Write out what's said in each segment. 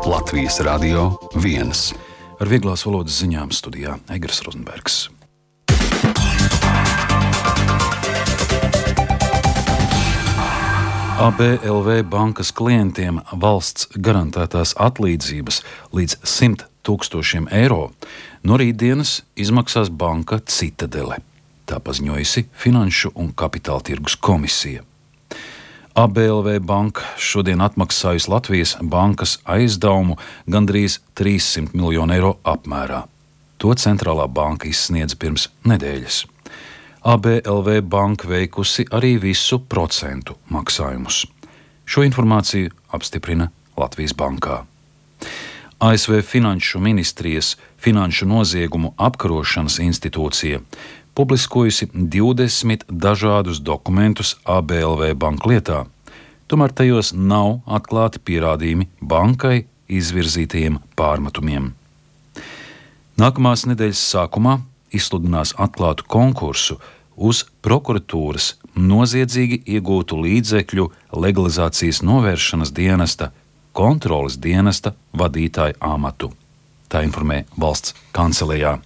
Latvijas Radio 1. Ar vieglās valodas ziņām studijā Egers Rozenbergs. ABLV bankas klientiem valsts garantētās atlīdzības līdz 100 000 eiro no rītdienas izmaksās banka Citadele. Tā paziņojusi Finanšu un Kapitāla tirgus komisija. ABLV banka šodien atmaksājusi Latvijas bankas aizdevumu gandrīz 300 miljonu eiro apmērā. To centrālā banka izsniedza pirms nedēļas. ABLV banka veikusi arī visu procentu maksājumus. Šo informāciju apstiprina Latvijas bankā. ASV Finanšu ministrijas Finanšu noziegumu apkarošanas institūcija publiskojusi 20 dažādus dokumentus ABLV banku lietā, tomēr tajos nav atklāti pierādījumi bankai izvirzītajiem pārmetumiem. Nākamās nedēļas sākumā izsludinās atklātu konkursu uz prokuratūras noziedzīgi iegūtu līdzekļu legalizācijas novēršanas dienesta kontroles dienesta vadītāja amatu. Tā informē valsts kancelejā.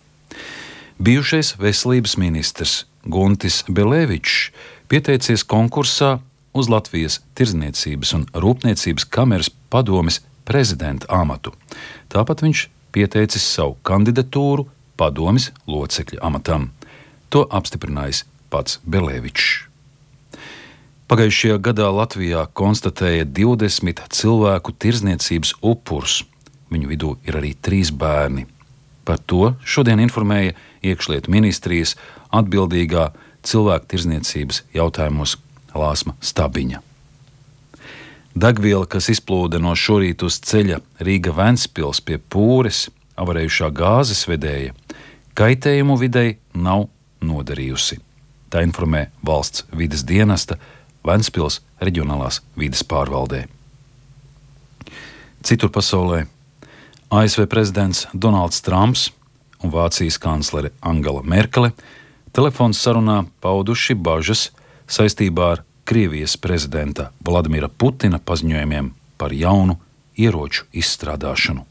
Bijušais veselības ministrs Guntis Belevičs pieteicies konkursā uz Latvijas Tirdzniecības un Rūpniecības kameras padomes prezidenta amatu. Tāpat viņš pieteicis savu kandidatūru padomes locekļa amatam. To apstiprinājis pats Belevičs. Pagājušajā gadā Latvijā konstatēja 20 cilvēku tirdzniecības upurus. Viņu vidū ir arī 3 bērni. Par to šodien informēja Iekšlietu ministrijas atbildīgā cilvēku tirdzniecības jautājumos Lāsma Stabiņa. Degviela, kas izplūda no šorīt uz ceļa Rīga-Ventspils pie Pūres, avarējušā gāzes vedēja, kaitējumu videi nav nodarījusi. Tā informē valsts vides dienesta Ventspils reģionālās vides pārvaldē. Citur pasaulē ASV prezidents Donalds Trumps un Vācijas kanclere Angela Merkele telefons sarunā pauduši bažas saistībā ar Krievijas prezidenta Vladimira Putina paziņojumiem par jaunu ieroču izstrādāšanu.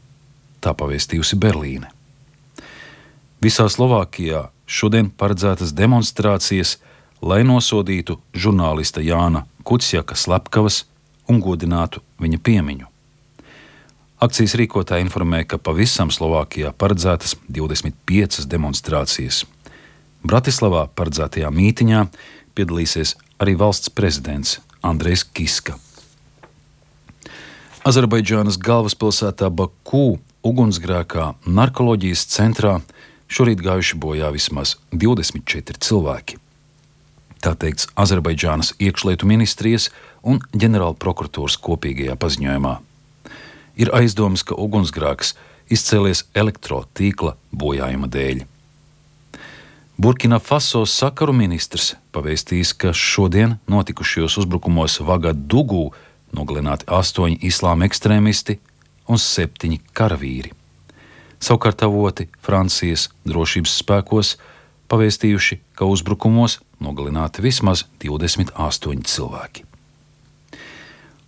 Tā pavēstījusi Berlīne. Visā Slovākijā šodien paredzētas demonstrācijas, lai nosodītu žurnālista Jāna Kuciaka slepkavas un godinātu viņa piemiņu. Akcijas rīkotāji informē, ka pavisam Slovākijā paredzētas 25 demonstrācijas. Bratislavā paredzētajā mītiņā piedalīsies arī valsts prezidents Andrejs Kiska. Azerbaidžānas galvaspilsētā Baku ugunsgrēkā narkoloģijas centrā šorīt gājuši bojā vismaz 24 cilvēki. Tā teikts Azerbaidžānas iekšlietu ministrijas un ģenerāla prokuratūras kopīgajā paziņojumā. Ir aizdomas, ka ugunsgrēks izcēlies elektrotīkla bojājuma dēļ. Burkina Faso sakaru ministrs pavēstījis, ka šodien notikušajos uzbrukumos Vagadugu nogalināti 8 islāma ekstrēmisti un 7 karavīri. Savukārt avoti Francijas drošības spēkos pavēstījuši, ka uzbrukumos nogalināti vismaz 28 cilvēki.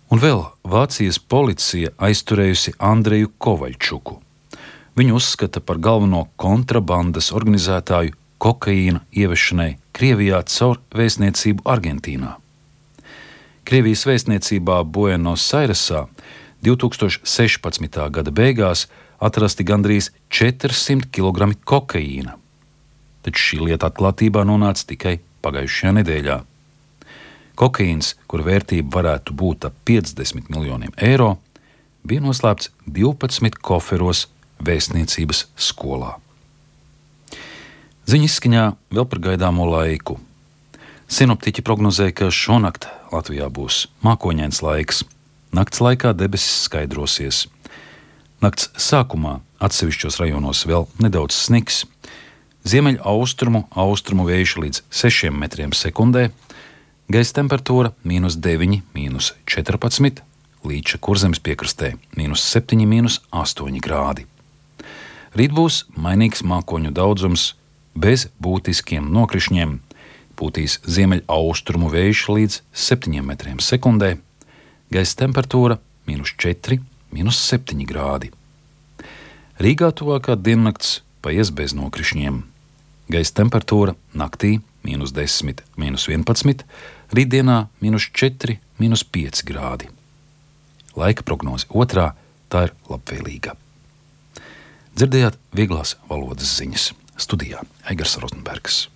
Un vēl Vācijas policija aizturējusi Andreju Kovaļčuku. Viņu uzskata par galveno kontrabandas organizētāju kokaīna ievešanai Krievijā caur vēstniecību Argentīnā. Krievijas vēstniecībā Buenos Airesā 2016. gada beigās atrasti gandrīz 400 kg kokaīna. Taču šī lieta atklātībā nonāca tikai pagājušajā nedēļā. Kokaīns, kur vērtība varētu būt ap 50 miljoniem eiro, bija noslēpts 12 koferos vēstniecības skolā. Ziņas izskaņā vēl par gaidāmo laiku. Sinoptiķi prognozē, ka šonakt Latvijā būs mākoņains laiks. Nakts laikā debesis skaidrosies. Nakts sākumā atsevišķos rajonos vēl nedaudz sniks. Ziemeļu austrumu vējš līdz 6 metriem sekundē. Gaisa temperatūra -9, -14, Līča Kurzemes piekrastē -7, -8 grādi. Rīt būs mainīgs mākoņu daudzums bez būtiskiem nokrišņiem. Pūtīs ziemeļaustrumu vējš līdz 7 metriem sekundē. gaisa temperatūra -4, -7 grādi. Rīgā tuvākā diennakts paies bez nokrišņiem. Gaisa temperatūra naktī -10, -11, rītdienā -4, -5 grādi. Laika prognoze otrā, tā ir labvēlīga. Dzirdējāt vieglās valodas ziņas. Studijā Aigars Rozenbergs.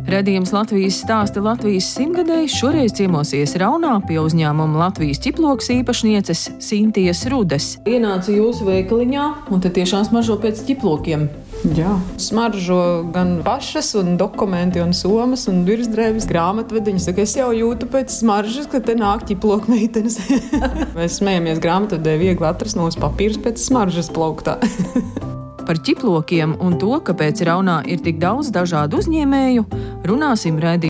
Radījums Latvijas stāsta Latvijas simtgadēji šoreiz ciemosies Raunā pie uzņēmuma Latvijas ķiploks īpašnieces Sintijas Rudes. Ienāca jūsu veikaliņā un te tiešām smaržo pēc ķiplokiem. Jā, smaržo gan pašas, un dokumenti, un somas, un virsdrēbes, grāmatvediņas. Saka, es jau jūtu pēc smaržas, ka te nāk ķiploku meitenes. Mēs smējamies, grāmatvedē viegli atrast nos papīrus pēc smaržas plauktā. Par ķiplokiem un to, kāpēc Raunā ir tik daudz dažādu uzņēmēju, runāsim raidījumā